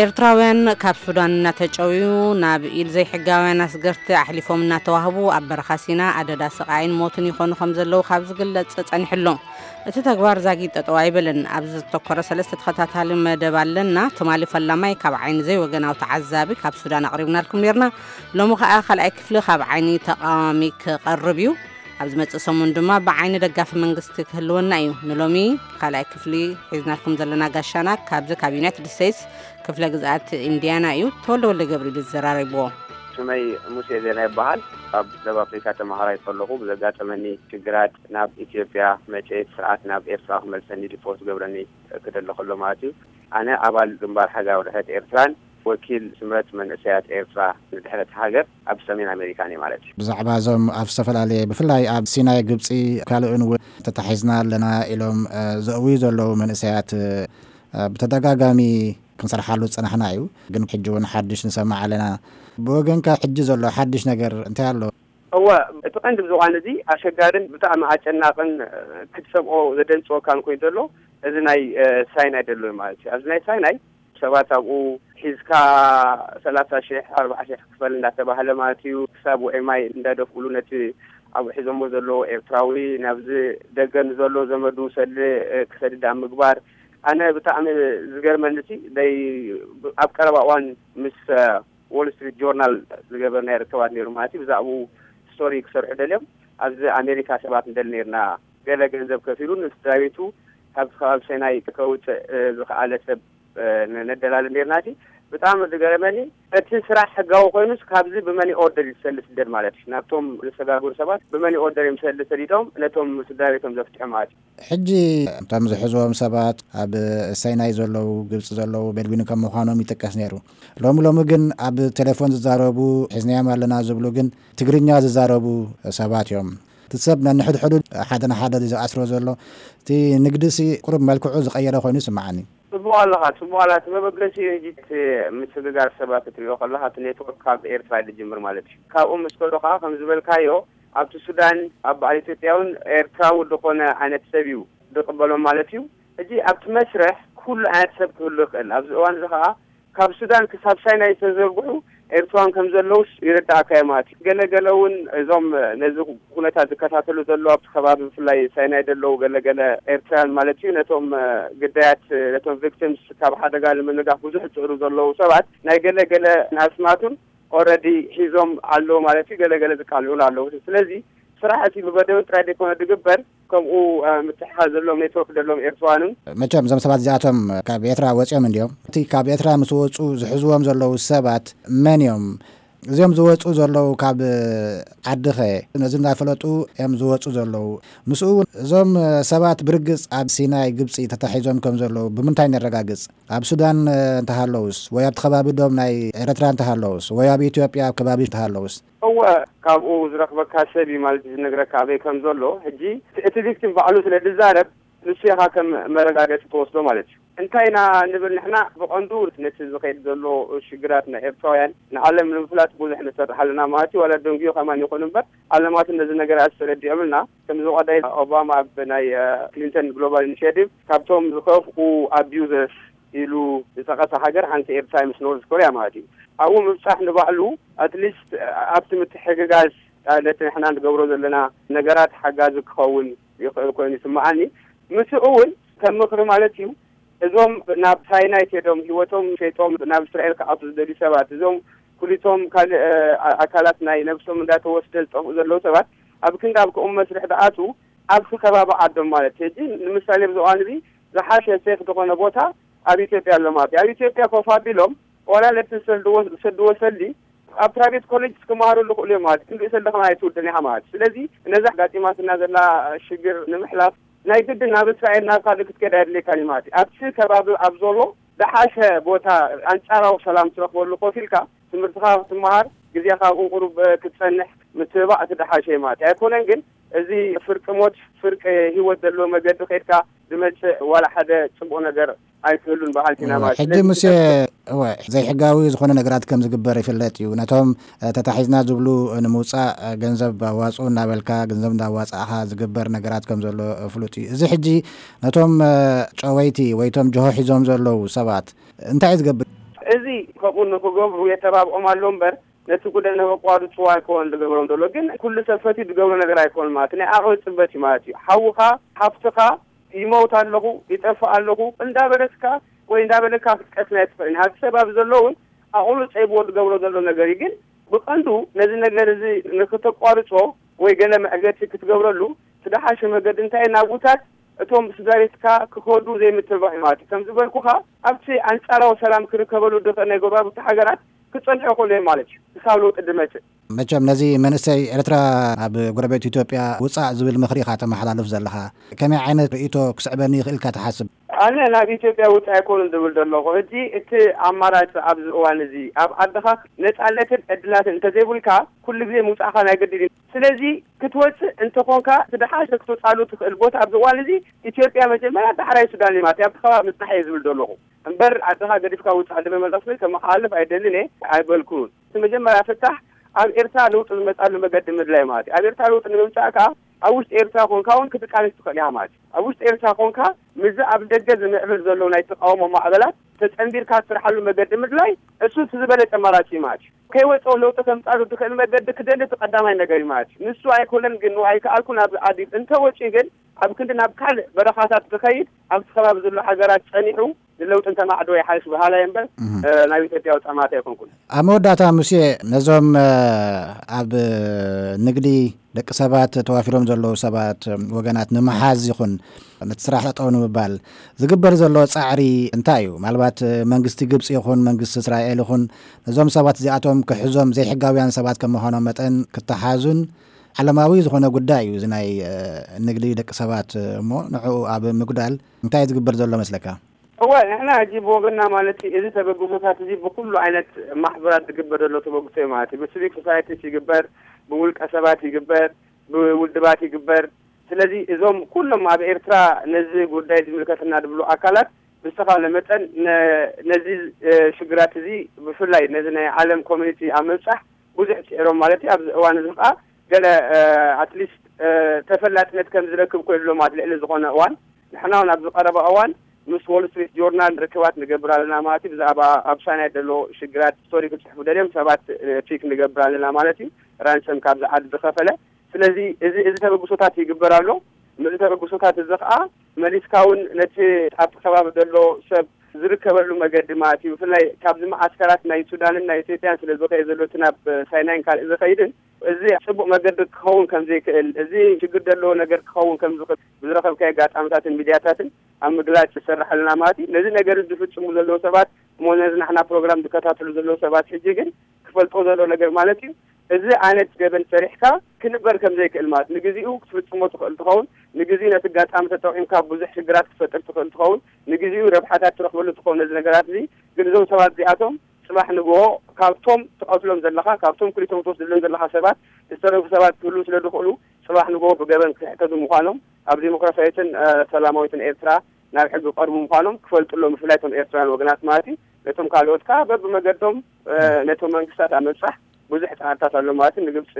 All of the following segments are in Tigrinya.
ኤርትራውያን ካብ ሱዳን እናተጨውዩ ናብ ኢድ ዘይሕጋውያን ኣስገርቲ ኣሕሊፎም እናተዋህቡ ኣብ በረኻ ሲና ኣደዳ ስቓይን ሞትን ይኾኑ ከም ዘለዉ ካብ ዝግለጽ ጸኒሑ ኣሎ። እቲ ተግባር ዛጊድ ጠጠው ኣይበለን። ኣብዚ ዝተኮረ ሰለስተ ተኸታታሊ መደብ ኣለና። ትማሊ ፈላማይ ካብ ዓይኒ ዘይወገናዊ ተዓዛቢ ካብ ሱዳን ኣቕሪብናልኩም ነርና። ሎሚ ከኣ ካልኣይ ክፍሊ ካብ ዓይኒ ተቓዋሚ ክቐርብ እዩ። ኣብ ዝመጽእ ሰሙን ድማ ብዓይኒ ደጋፊ መንግስቲ ክህልወና እዩ። ንሎሚ ካልኣይ ክፍሊ ሒዝናልኩም ዘለና ጋሻና ካብዚ ካብ ዩናይትድ ስቴትስ ክፍለ ግዝኣት ኢንዲያና እዩ። ተወልደ ወልደ ገብርኤል ዝዘራረብዎ። ስመይ ሙሴ ዜና ይበሃል። ኣብ ደቡብ ኣፍሪካ ተመሃራይ ከለኹ ብዘጋጠመኒ ሽግራት ናብ ኢትዮጵያ መፅኤ፣ ስርዓት ናብ ኤርትራ ክመልሰኒ ዲፖርት ገብረኒ ክደሊ ከሎ ማለት እዩ። ኣነ ኣባል ግንባር ሓጋዊ ድሕረት ኤርትራን ወኪል ስምረት መንእሰያት ኤርትራ ንድሕረት ሃገር ኣብ ሰሜን ኣሜሪካን እየ ማለት እዩ። ብዛዕባ እዞም ኣብ ዝተፈላለየ፣ ብፍላይ ኣብ ሲናይ ግብፂ ካልእን እውን ተታሒዝና ኣለና ኢሎም፣ እ፣ ዘእውዩ ዘለዉ መንእሰያት፣ እ፣ ብተደጋጋሚ ክንሰርሓሉ ዝጸናሕና እዩ። ግን ሕጂ እውን ሓድሽ ንሰማዕ ኣለና። ብወገንካ ሕጂ ዘሎ ሓድሽ ነገር እንታይ ኣሎ? እወ፣ እቲ ቀንዲ ብዝኾነ እዚ ኣሸጋርን ብጣዕሚ ኣጨናቕን፣ እ፣ ክትሰምዖ ዘደንጽወካን ኮይኑ ዘሎ እዚ ናይ፣ እ፣ ሳይናይ ዘሎ ማለት እዩ። ኣብዚ ናይ ሳይናይ ሰባት ኣብኡ ሒዝካ ሰላሳ ሺሕ፣ ኣርብዓ ሺሕ ክፈል እንዳተባህለ ማለት እዩ። ክሳብ ውዒ ማይ እንዳደፍኡሉ ነቲ ኣብኡ ሒዞሞ ዘለዎ ኤርትራዊ ናብዚ ደገ ንዘሎ ዘመዱ ሰሊ፣ እ፣ ክሰድድ ኣብ ምግባር። ኣነ ብጣዕሚ ዝገርመኒ ሲ ናይ ኣብ ቀረባ እዋን ምስ፣ እ፣ ዎል ስትሪት ጆርናል ዝገበርናዮ ርክባት ነይሩ ማለት እዩ። ብዛዕባኡ ስቶሪ ክሰርሑ ደልዮም ኣብዚ ኣሜሪካ ሰባት ንደሊ ነይርና። ገለ ገንዘብ ከፊሉ ንስድራ ቤቱ ካብዚ ከባቢ ሰናይ ከውፅእ፣ እ፣ ዝኸኣለ ሰብ፣ እ፣ ነ-፣ ነደላሊ ነይርና። እቲ ብጣዕሚ ዝገረመኒ እቲ ስራሕ ሕጋዊ ኮይኑስ ካብዚ ብመኒ ኦርደር እዩ ዝሰሊ ስደድ ማለት እዩ። ናብቶም ዘሰጋገሩ ሰባት ብመኒ ኦርደር እዮም ዝሰሊ ሰዲዶም ነቶም ስድራ ቤቶም ዘፍትሑ ማለት እዩ። ሕጂ እቶም ዝሕዝዎም ሰባት ኣብ ሰናይ ዘለዉ፣ ግብፂ ዘለዉ ቤድዊን ከም ምዃኖም ይጥቀስ ነይሩ። ሎሚ ሎሚ ግን ኣብ ቴሌፎን ዝዛረቡ ሒዝናዮም ኣለና ዝብሉ ግን ትግርኛ ዝዛረቡ ሰባት እዮም። እቲ ሰብ ነንሕድሕዱ ሓደ ንሓደ ዝኣስሮ ዘሎ እቲ ንግዲ ሲ ቁሩብ መልክዑ ዝቐየረ ኮይኑ ይስምዓኒ። ጽቡቕ ኣለኻ፣ ጽቡቕ ኣለኻ። እቲ መበገሲ ሕጂ እቲ ምስግጋር ሰባት ክትሪኦ ከለኻ እቲ ኔትወርክ ካብ ኤርትራ እዩ ዝጅምር ማለት እዩ። ካብኡ ምስ ከዶ ከዓ ከም ዝበልካዮ ኣብቲ ሱዳን ኣብ በዓል ኢትዮጵያውን ኤርትራዊ ዝኾነ ዓይነት ሰብ እዩ ዝቕበሎም ማለት እዩ። ሕጂ ኣብቲ መስርሕ ኩሉ ዓይነት ሰብ ክህሉ ይኽእል። ኣብዚ እዋን እዚ ከዓ ካብ ሱዳን ክሳብ ሳይናይ ዝተዘርግሑ ኤርትራውያን ከም ዘለውስ ይርዳእካ እዩ ማለት እዩ። ገለ ገለ እውን እዞም ነዚ ኩነታት ዝከታተሉ ዘለዉ ኣብቲ ከባቢ ብፍላይ ሳይናይ ዘለዉ ገለ ገለ ኤርትራውያን ማለት እዩ ነቶም፣ እ፣ ግዳያት፣ እ፣ ነቶም ቪክቲምስ ካብ ሓደጋ ንምንጋፍ ብዙሕ ዝጽዕሩ ዘለዉ ሰባት ናይ ገለ ገለ ኣስማቱን ኦልረዲ ሒዞም ኣለዉ ማለት እዩ። ገለ ገለ ዝቃልዑን ኣለዉ። ስለዚ ስራሕ እቲ ብበደዊ ጥራይ ዘይኮነ ዝግበር ከምኡ፣ እ፣ ምትሕሓዝ ዘለዎም ኔትወርክ ዘለዎም ኤርትራውያንን። መቸም እዞም ሰባት እዚኣቶም ካብ ኤርትራ ወፂኦም እንዲዮም። እቲ ካብ ኤርትራ ምስ ወፁ ዝሕዝዎም ዘለዉ ሰባት መን እዮም? እዚኦም ዝወፁ ዘለዉ ካብ ዓድኸ ነዚ እንዳፈለጡ እዮም ዝወፁ ዘለዉ? ምስኡ እውን እዞም ሰባት ብርግፅ ኣብ ሲናይ ግብፂ ተታሒዞም ከም ዘለዉ ብምንታይ ነረጋግፅ? ኣብ ሱዳን እንተሃለውስ ወይ ኣብቲ ከባቢ ዶም ናይ ኤርትራ እንተሃለውስ ወይ ኣብ ኢትዮጵያ ኣብ ከባቢ እንተሃለውስ? እወ፣ ካብኡ ዝረኽበካ ሰብ እዩ ማለት እዩ ዝነግረካ ኣበይ ከም ዘሎ። ሕጂ እቲ ቪክቲም ባዕሉ ስለ ዝዛረብ ንሱ ኢኻ ከም መረጋገፂ ትወስዶ ማለት እዩ። እንታይ ኢና ንብል ንሕና ብቐንዱ ነቲ ዝኸይድ ዘሎ ሽግራት ናይ ኤርትራውያን ንዓለም ንምፍላጥ ብዙሕ ንሰርሕ ኣለና ማለት እዩ። ዋላ ደንጉዮ ከማን ይኹን እምበር ዓለማትን ነዚ ነገራት ተረዲኦምልና ከም ዝቐዳይ ኦባማ ኣብ ናይ፣ እ፣ ክሊንተን ግሎባል ኢኒሽቲቭ ካብቶም ዝኸፍኡ ኣቢዩዘርስ ኢሉ ዝጠቐሰ ሃገር ሓንቲ ኤርትራ ምስ ኖርዝ ኮርያ ማለት እዩ። ኣብኡ ምብጻሕ ንባዕሉ ኣትሊስት ኣብቲ ምትሕግጋዝ ነቲ ንሕና ንገብሮ ዘለና ነገራት ሓጋዚ ክኸውን ይኽእል ኮይኑ ይስምዓኒ። ምስኡ እውን ከም ምኽሪ ማለት እዩ እዞም ናብ ሳይናይ ከይዶም ህይወቶም ሸይጦም ናብ እስራኤል ክኣቱ ዝደልዩ ሰባት እዞም ኩሊቶም ካልእ፣ እ፣ ኣካላት ናይ ነብሶም እንዳተወስደ ዝጠፍኡ ዘለዉ ሰባት ኣብ ክንዲ ኣብ ከምኡ መስርሕ ዝኣትዉ ኣብቲ ከባቢ ዓዶም ማለት ሕጂ ንምሳሌ ኣብዚ እዋን እዚ ዝሓሸ ሴፍ ዝኾነ ቦታ ኣብ ኢትዮጵያ ኣሎ ማለት እዩ። ኣብ ኢትዮጵያ ኮፍ ኣቢሎም ዋላ ነቲ ዝሰድዎ ሰሊ ኣብ ፕራይቬት ኮሌጅ ክመሃሩ ዝኽእሉ እዮም ማለት ክንዲ ሰሊ ከማን ኣይትውድን ኢኻ ማለት እዩ። ስለዚ ነዛ ኣጋጢማትና ዘላ ሽግር ንምሕላፍ ናይ ግድን ናብ እስራኤል ናብ ካልእ ክትከድ ኣየድልየካን እዩ ማለት እዩ። ኣብቲ ከባቢ ኣብ ዘሎ ዝሓሸ ቦታ ኣንጻራዊ ሰላም ትረኽበሉ ኮፍ ኢልካ ትምህርትኻ ክትመሃር ግዜኻ ኣብኡ ቁሩብ ክትጸንሕ ምትብባዕ እቲ ዝሓሸ እዩ ማለት እዩ። ኣይኮነን ግን እዚ ፍርቂ ሞት ፍርቂ ህይወት ዘለዎ መገዲ ከድካ ዝመጽእ ዋላ ሓደ ጽቡቕ ነገር ኣይክህሉን በሃልቲ ኢና ማለት እዩ። ሕጂ ሙሴ፣ እወ፣ ዘይሕጋዊ ዝኾነ ነገራት ከም ዝግበር ይፍለጥ እዩ። ነቶም፣ እ፣ ተታሒዝና ዝብሉ ንምውጻእ፣ እ፣ ገንዘብ ኣዋጽኡ እናበልካ ገንዘብ እንዳዋጻእኻ ዝግበር ነገራት ከም ዘሎ፣ እ፣ ፍሉጥ እዩ። እዚ ሕጂ ነቶም፣ እ፣ ጨወይቲ ወይ ቶም ጅሆ ሒዞም ዘለዉ ሰባት እንታይ እዩ ዝገብር? እዚ ከምኡ ንክገብሩ የተባብዖም ኣሎ እምበር ነቲ ጉዳይ ንክቋርፅዎ ኣይኮን ዝገብሮም ዘሎ። ግን ኩሉ ሰብ ፈትዩ ዝገብሮ ነገር ኣይኮን ማለት ናይ ዓቕሚ ፅበት እዩ ማለት እዩ። ሓውኻ ሓፍትኻ ይመውት ኣለኹ ይጠፍእ ኣለኹ እንዳበለትካ ወይ እንዳበለካ ክትቀትል ኣይትኽእልን። ሃዚ ሰብ ኣብ ዘሎ እውን ኣቕሉ ፀይብዎ ዝገብሮ ዘሎ ነገር እዩ። ግን ብቐንዱ ነዚ ነገር እዚ ንክተቋርፆ ወይ ገለ መዕገቲ ክትገብረሉ ዝደሓሸ መገዲ እንታይ ናብታት እቶም ስድራ ቤትካ ክኸዱ ዘይምትባዕ ማለት እዩ። ከም ዝበልኩኻ ኣብቲ ኣንጻራዊ ሰላም ክርከበሉ ድኽእል ናይ ጎረባብቲ ሃገራት ክጸንሑ ይኽእሉ እዮም ማለት እዩ። ክሳብ ለውጢ ድመጽእ። መቸም ነዚ መንእሰይ ኤርትራ ኣብ ጎረቤት ኢትዮጵያ ውጻእ ዝብል ምኽሪ ኢኻ ተመሓላልፍ ዘለኻ። ከመይ ዓይነት ርእይቶ ክስዕበኒ ይኽእል ኢልካ ትሓስብ? ኣነ ናብ ኢትዮጵያ ውጻእ ኣይኮኑን ዝብል ዘለኹ። ሕጂ እቲ ኣማራጺ ኣብዚ እዋን እዚ ኣብ ዓድኻ ነጻነትን ዕድላትን እንተዘይብልካ ኩሉ ግዜ ምውጻእኻ ናይ ግድን እዩ። ስለዚ ክትወጽእ እንተኾንካ እቲ ደሓሸ ክትወጻሉ ትኽእል ቦታ ኣብዚ እዋን እዚ ኢትዮጵያ መጀመርያ ዳሕራይ ሱዳን እዩ ማለት እዩ። ኣብቲ ከባቢ ምጽናሕ እየ ዝብል ዘለኹ። እምበር ዓድኻ ገዲፍካ ውጻእ ዝብል መልእኽቲ ከመሓላልፍ ኣይደልን እየ ኣይበልኩን። እቲ መጀመርያ ፍታሕ ኣብ ኤርትራ ለውጢ ዝመጻሉ መገዲ ምድላይ ማለት እዩ። ኣብ ኤርትራ ለውጢ ንምምጻእ ከኣ ኣብ ውሽጢ ኤርትራ ኮንካ እውን ክትቃለስ ትኽእል ኢኻ ማለት እዩ። ኣብ ውሽጢ ኤርትራ ኮንካ ምስዚ ኣብ ደገ ዝምዕብል ዘሎ ናይ ተቃውሞ ማዕበላት ተጸንቢርካ ትስርሓሉ መገዲ ምድላይ እሱ እቲ ዝበለጸ ኣማራጺ እዩ ማለት እዩ። ከይወጸ ለውጢ ከምጻሉ ትኽእል መገዲ ክደሊ እቲ ቀዳማይ ነገር እዩ ማለት እዩ። ንሱ ኣይኮነን ግን ኣይከኣልኩን ኣብዚ ዓዲ እንተወጺኡ ግን ኣብ ክንዲ ናብ ካልእ በረኻታት ዝኸይድ ኣብቲ ከባቢ ዘሎ ሃገራት ጸኒሑ ንለውጢ እንተማዕዶ ይሓይሽ በሃላይ እምበር እህ። እ፣ ናብ ኢትዮጵያ ውጻእ ማለት ኣይኮንኩን። ኣብ መወዳእታ ሙሴ ነዞም እ፣ ኣብ ንግዲ ደቂ ሰባት ተዋፊሮም ዘለዉ ሰባት እ፣ ወገናት ንምሓዝ ይኹን ነቲ ስራሕ ጠጠው ንምባል ዝግበር ዘሎ ጻዕሪ እንታይ እዩ? ምናልባት እ፣ መንግስቲ ግብፂ ይኹን መንግስቲ እስራኤል ይኹን ነዞም ሰባት እዚኣቶም ክሕዞም ዘይሕጋውያን ሰባት ከም ምዃኖም መጠን ክተሓዙን ዓለማዊ ዝኾነ ጉዳይ እዩ እዚ ናይ እ፣ ንግዲ ደቂ ሰባት እ፣ እሞ ንዕኡ ኣብ ምጉዳል እንታይ ዝግበር ዘሎ መስለካ? እወ ንሕና ሕጂ ብወገንና ማለት እዩ እዚ ተበግሶታት እዚ ብኩሉ ዓይነት ማሕበራት ዝግበር ዘሎ ተበግሶ እዩ ማለት እዩ። ብሲቪክ ሶሳይቲስ ይግበር፣ ብውልቀ ሰባት ይግበር፣ ብውድባት ይግበር። ስለዚ እዞም ኩሎም ኣብ ኤርትራ ነዚ ጉዳይ ዝምልከተና ዝብሉ ኣካላት ብዝተኻለ መጠን ነ- ነዚ እ፣ ሽግራት እዚ ብፍላይ ነዚ ናይ ዓለም ኮሚኒቲ ኣብ ምብጻሕ ብዙሕ ጽዒሮም ማለት እዩ። ኣብዚ እዋን እዚ ከዓ ገለ ኣትሊስት ተፈላጥነት ከም ዝረክብ ኮይኑሎ ማለት ልዕሊ ዝኾነ እዋን ንሕና እውን ኣብዚ ቀረባ እዋን ምስ ዎል ስትሪት ጆርናል ርክባት ንገብር ኣለና ማለት እዩ። ብዛዕባ ኣብ ሳይናይ ዘሎ ሽግራት ስቶሪ ክፅሕፉ ደልዮም ሰባት ፒክ ንገብር ኣለና ማለት እዩ። ራንሰም ካብዚ ዓዲ ዝኸፈለ ስለዚ እዚ እዚ ተበግሶታት ይግበር ኣሎ። ነዚ ተበግሶታት እዚ ከዓ መሊስካ እውን ነቲ ኣብቲ ከባቢ ዘሎ ሰብ ዝርከበሉ መገዲ ማለት እዩ። ብፍላይ ካብዚ መዓስከራት ናይ ሱዳንን ናይ ኢትዮጵያን ስለ ዝኸየ ዘሎ እቲ ናብ ሳይናይን ካልእ ዝኸይድን እዚ ፅቡቅ መገዲ ክኸውን ከም ዘይክእል እዚ ሽግር ዘለዎ ነገር ክኸውን ከም ዝኽእል ብዝረኸብካዮ ኣጋጣምታትን ሚድያታትን ኣብ ምግላፅ ይሰርሕ ኣለና ማለት እዩ። ነዚ ነገር እዚ ዝፍፅሙ ዘለዉ ሰባት እሞ ነዚ ናሕና ፕሮግራም ዝከታተሉ ዘለዉ ሰባት ሕጂ ግን ክፈልጦ ዘሎ ነገር ማለት እዩ እዚ ዓይነት ገበን ሰሪሕካ ክንበር ከም ዘይክእል ማለት ንግዚኡ ክትፍፅሞ ትኽእል ትኸውን ንግዚኡ ነቲ ኣጋጣሚ ተጠቂምካ ብዙሕ ሽግራት ክትፈጥር ትኽእል ትኸውን ንግዚኡ ረብሓታት ትረኽበሉ ትኸውን ነዚ ነገራት እዚ ግን እዞም ሰባት እዚኣቶም ፅባሕ ንግሆ ካብቶም ትቐትሎም ዘለኻ ካብቶም ክሊቶም ትወስድሎም ዘለኻ ሰባት ዝተረፉ ሰባት ክህልዉ ስለ ዝኽእሉ ፅባሕ ንግሆ ብገበን ክሕተቱ ምዃኖም ኣብ ዲሞክራሲያዊትን ሰላማዊትን ኤርትራ ናብ ሕጊ ክቐርቡ ምዃኖም ክፈልጡ ኣለዎም ብፍላይ እቶም ኤርትራውያን ወገናት ማለት እዩ ነቶም ካልኦት ከዓ በብመገዶም ነቶም መንግስታት ኣብ ምብፃሕ ብዙሕ ፃዕርታት ኣሎ ማለት እዩ ንግብፂ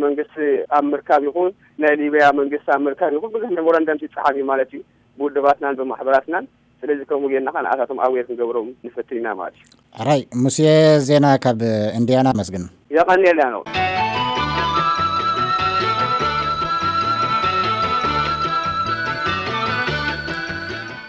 መንግስቲ ኣብ ምርካብ ይኹን ናይ ሊብያ መንግስቲ ኣብ ምርካብ ይኹን ብዙሕ ሜሞራንደም ይፀሓፍ እዩ ማለት እዩ ብውድባትናን ብማሕበራትናን ስለዚ ከምኡ ጌርና ከዓ ንኣታቶም ኣዌር ክንገብሮም ንፈትን ኢና ማለት እዩ ሕራይ ሙሴ ዜና ካብ ኢንዲያና መስግን የቐንየልና ነው